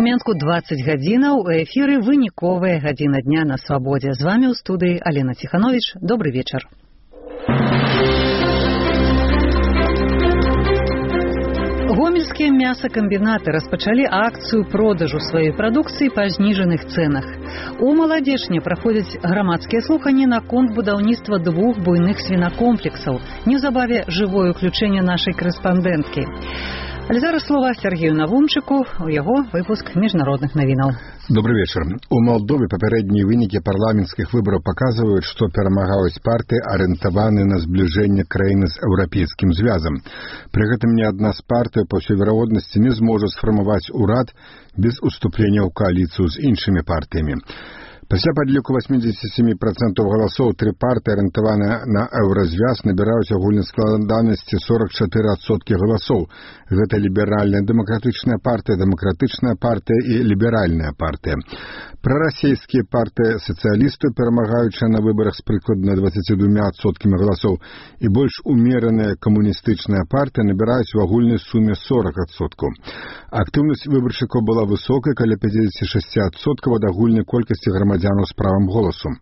У Менску 20 гадзінаў, у эфіры выніковая гадзіна дня на свабодзе. З вами ў студыі Алена Ціхановіч. Добрый вечар. Гомельскія мясакамбінаты распачалі акцыю продажу сваёй прадукцыі па зніжаных цэнах. У Маладзечне праходзяць грамадскія слуханні наконт будаўніцтва 2 буйных свінакомплексаў. Неўзабаве жывое ўключэнне нашай корэспандэнткі. Але зараз слова Сергею Навумчыку, у яго выпуск міжнародных навінаў. Добрый вечер. У Молдове папярэднія вынікі парламенцкіх выбараў паказваюць, што перамагаюць партыі, арыентаваныя на збліжэнне краіны з еўрапейскім звязам. Пры гэтым ні адна з партый, па ўсёй верагоднасці, не зможа сфармаваць урад без уступлення ў кааліцыю з іншымі партыямі. Пасля падліку 87% галасоў 3 партыі, арыентаваныя на еўразвяз, набіраюць агульнай складанасці 44% галасоў. Гэта ліберальная дэмакратычная партыя, дэмакратычная партыя і ліберальная партыя. Прарасійскія партыі сацыялісты, перамагаючыя на выбарах з прыкладна 22% галасоў, і больш умераная камуністычная партыя набіраюць у агульнай суме 40%. Актыўнасць выбаршчыкаў была высокай, каля 56% ад агульнай колькасці грамадзянаў з правам голасу.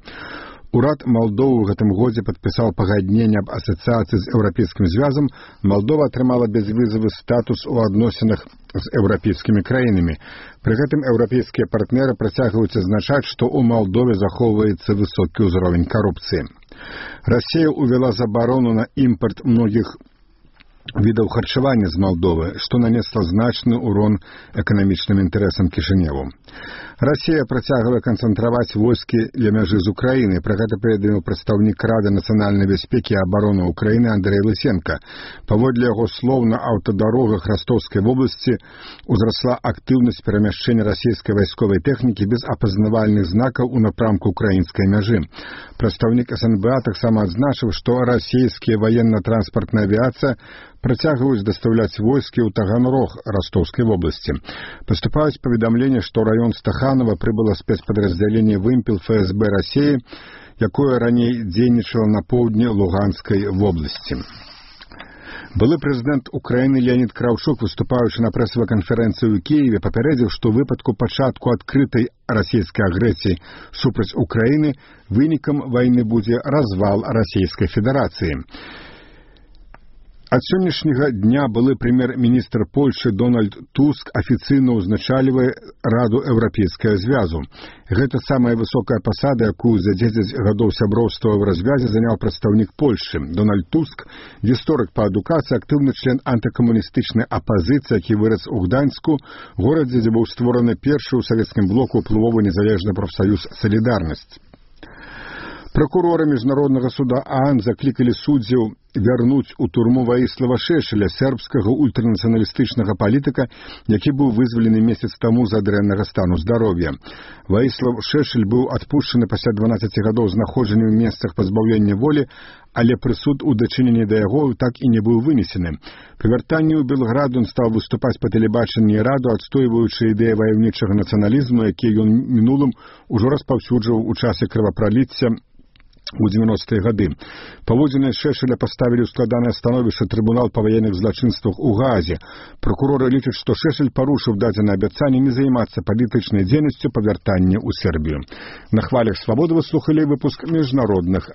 Урад Малдовы ў гэтым годзе падпісаў пагадненне аб асацыяцыі з еўрапейскім звязам. Малдова атрымала бязвізавы статус у адносінах з еўрапейскімі краінамі. Пры гэтым еўрапейскія партнеры працягваюць адзначаць, што ў Малдове захоўваецца высокі ўзровень карупцыі. Расія ўвяла забарону на імпарт многіх відаў харчавання з Малдовы, што нанесла значны ўрон эканамічным інтарэсам Кішыневу. Расія працягвае канцэнтраваць войскі ля мяжы з Украінай. Пра гэта паведаміў прадстаўнік Рады нацыянальнай бяспекі і абароны Украіны Андрэй Лысенка. Паводле яго слоў, на аўтадарогах Ростовскай вобласці узрасла актыўнасць перамяшчэння расійскай вайсковай тэхнікі без апазнавальных знакаў у напрамку украінскай мяжы. Прадстаўнік СНБА таксама адзначыў, што расійскія ваенна-транспартная авіяцыя працягваюць дастаўляць войскі ў Таганрог Ростовскай вобласці. Паступаюць паведамленні, што раён Стаханова прыбыла спецпадраздзяленне «Вымпел» ФСБ Расіі, якое раней дзейнічала на поўдні Луганскай вобласці. Былы прэзідэнт Украіны Леонід Краўчук, выступаючы на прэсавай канферэнцыі ў Кіеве, папярэдзіў, што ў выпадку пачатку адкрытай расійскай агрэсіі супраць Украіны вынікам вайны будзе развал Расійскай Федэрацыі. Ад сённяшняга дня былы прэм'ер-міністр Польшчы Дональд Туск афіцыйна ўзначальвае Раду Еўрапейскага звязу. Гэта самая высокая пасада, якую за 10 гадоў сяброўства ў развязе заняў прадстаўнік Польшчы. Дональд Туск, гісторык па адукацыі, актыўны член антыкамуністычнай апазіцыі, які вырас у Гданьску, горадзе, дзе быў створаны першы ў савецкім блоку ўплывовы незалежны прафсаюз «Салідарнасць». Пракуроры міжнароднага суда ААН заклікалі суддзяў вярнуць у турму Ваіслава Шэшэля, сербскага ультранацыяналістычнага палітыка, які быў вызвалены месяц таму з-за дрэннага стану здароўя. Ваіслав Шэшэль быў адпушчаны пасля 12 гадоў знаходжання ў месцах пазбаўлення волі, але прысуд у дачыненні да яго так і не быў вынесены. Пры вяртанні ў Белград ён стаў выступаць па тэлебачанні і раду, адстойваючы ідэі ваяўнічага нацыяналізму, якія ён мінулым ужо распаўсюджваў у часе крывапраліцця у 90-е гады. Паводзіны Шэшэля паставілі ў складанае становішча трыбунал па ваенных злачынствах у Гаазе. Пракуроры лічаць, што Шэшэль парушыў дадзенае абяцанне не займацца палітычнай дзейнасцю па вяртанні ў Сербію. На хвалях свабоды вы слухалі выпуск міжнародных